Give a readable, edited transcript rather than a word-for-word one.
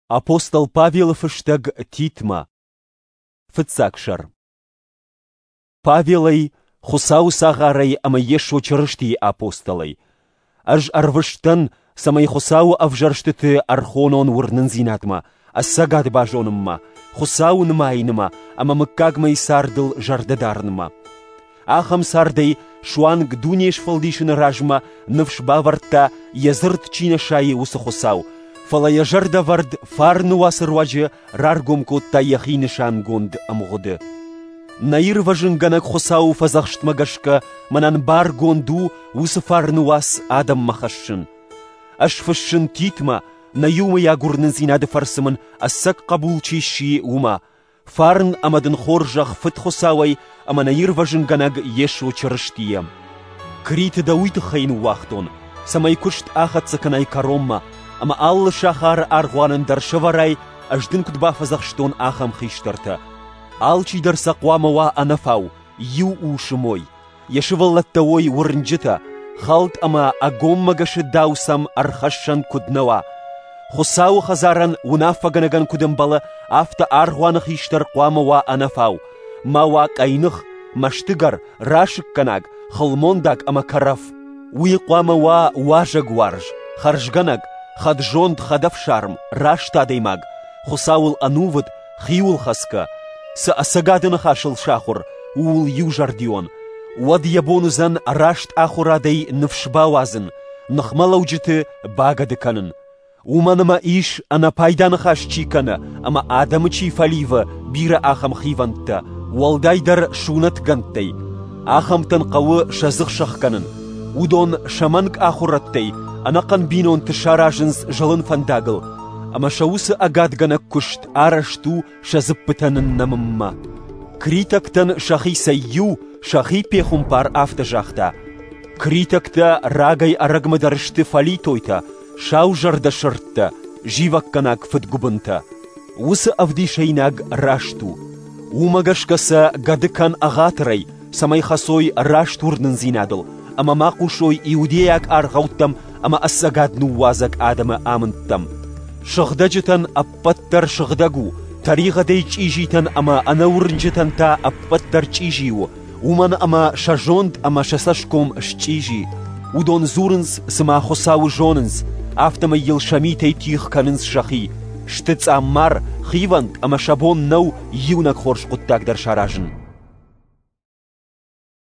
Апостол Павелы фыстӕг Титмӕ. Фыццаг сӕр. Павелӕй, Хуыцауы цагъарӕй ӕмӕ Йесо Чырыстийы апостолӕй. Ӕз ӕрвыст дӕн, цӕмӕй Хуыцауы ӕвзӕрстыты ӕрхонон уырнындзинадмӕ, ӕцӕгад базонынмӕ, Хуыцауы нымайынмӕ ӕмӕ мыггагмӕйы цардыл зӕрдӕ дарынмӕ. Ахӕм цардӕй суанг дуне сфӕлдисыны размӕ ныфс бавӕрдта, йӕ дзырд чи нӕ сайы, уыцы Хуыцау, фӕлӕ йӕ зӕрдӕвӕрд фарны уацы руаджы раргом кодта йӕхи нысангонд ӕмгъуыды. Нӕ ирвӕзынгӕнӕг Хуыцауы фӕдзӕхстмӕ гӕсгӕ мӕнӕн баргонд у уыцы фарны уац адӕммӕ хӕссын. Ӕз фыссын Титмӕ, нӕ иумӕйаг уырнындзинады фӕрцы мын ӕцӕг хъӕбул чи сси, уымӕ, Фарн ӕмӕ дын хорзӕх Фыд Хуыцауӕй ӕмӕ нӕ Ирвӕзынгӕнӕг Йесо Чырыстийӕ. Криты дӕ уый тыххӕй ныууагътон, цӕмӕй куыст ахӕццӕ кӕнай кӕронмӕ, ӕмӕ алы сахары аргъуанӕн дӕр сӕвӕрай, ӕз дын куыд бафӕдзӕхстон, ахӕм хистӕртӕ. Алчидӕр сӕ хъуамӕ уа ӕнӕфау, иу усы мой, йӕ сывӕллӕттӕ уой уырнджытӕ, хӕлд ӕмӕ ӕгоммӕгӕсы дау сӕм ӕрхӕссӕн куыд нӕ уа. Хуыцауы хӕдзарӕн уынаффӕгӕнӕгӕн куыд ӕмбӕлы, афтӕ аргъуаны хистӕр хъуамӕ уа ӕнӕфау, ма уа къӕйных, мӕстыгӕр, расыггӕнаг, хылмондаг ӕмӕ кӕрӕф. Уый хъуамӕ уа уазӕгуарз, хӕрзгӕнӕг, хӕд-зонд, хӕдӕфсарм, раст адӕймаг, Хуыцауыл ӕнувыд, хиуылхӕцгӕ, цы ӕцӕгады ныхасыл сахуыр, ууыл иузӕрдион, уӕд йӕ бон уыдзӕн раст ахуырадӕй ныфс бауадзын, ныхмӕлӕуджыты багӕды кӕнын. Уымӕн ӕмӕ ис, ӕнӕпайда ныхас чи кӕны ӕмӕ адӕмы чи фӕливы, бирӕ ахӕм хивӕндтӕ, уӕлдайдӕр сунӕтгӕндтӕй. Ахӕмтӕн хъӕуы сӕ дзых сӕхгӕнын. Уыдон сӕ мӕнг ахуырӕдтӕй ӕнӕхъӕн бинонты саразынц зылын фӕндагыл, ӕмӕ сӕ уыцы ӕгадгӕнӕг куыст арӕзт у сӕ дзыппытӕ ныннӕмынмӕ. Критӕгтӕн сӕхицӕй иу, сӕхи пехуымпар афтӕ загъта: «Критӕгтӕ рагӕй-ӕрӕгмӕ дӕр сты фӕлитойтӕ, саузӕрдӕ сырдтӕ, зивӕггӕнаг фыдгуыбынтӕ. Уыцы ӕвдисӕйнаг раст у. Уымӕ гӕсгӕ сӕ гӕды кӕн ӕгъатырӕй, цӕмӕй хӕцой раст уырнындзинадыл ӕмӕ ма хъусой иудейаг аргъӕуттӕм ӕмӕ ӕцӕгад ныууадзӕг адӕмы амындтӕм. Сыгъдӕджытӕн ӕппӕт дӕр сыгъдӕг у, тӕригъӕдӕй чъизитӕн ӕмӕ ӕнӕуырнджытӕн та ӕппӕт дӕр чъизи у, уымӕн ӕмӕ сӕ зонд ӕмӕ сӕ цӕсгом счъизи. Уыдон дзурынц, цыма Хуыцауы зонынц, афтӕмӕй йыл сӕ митӕй тигъ кӕнынц сӕхи, сты цъаммар, хивӕнд ӕмӕ сӕ бон нӕу иунӕг хорз хъуыддаг дӕр саразын.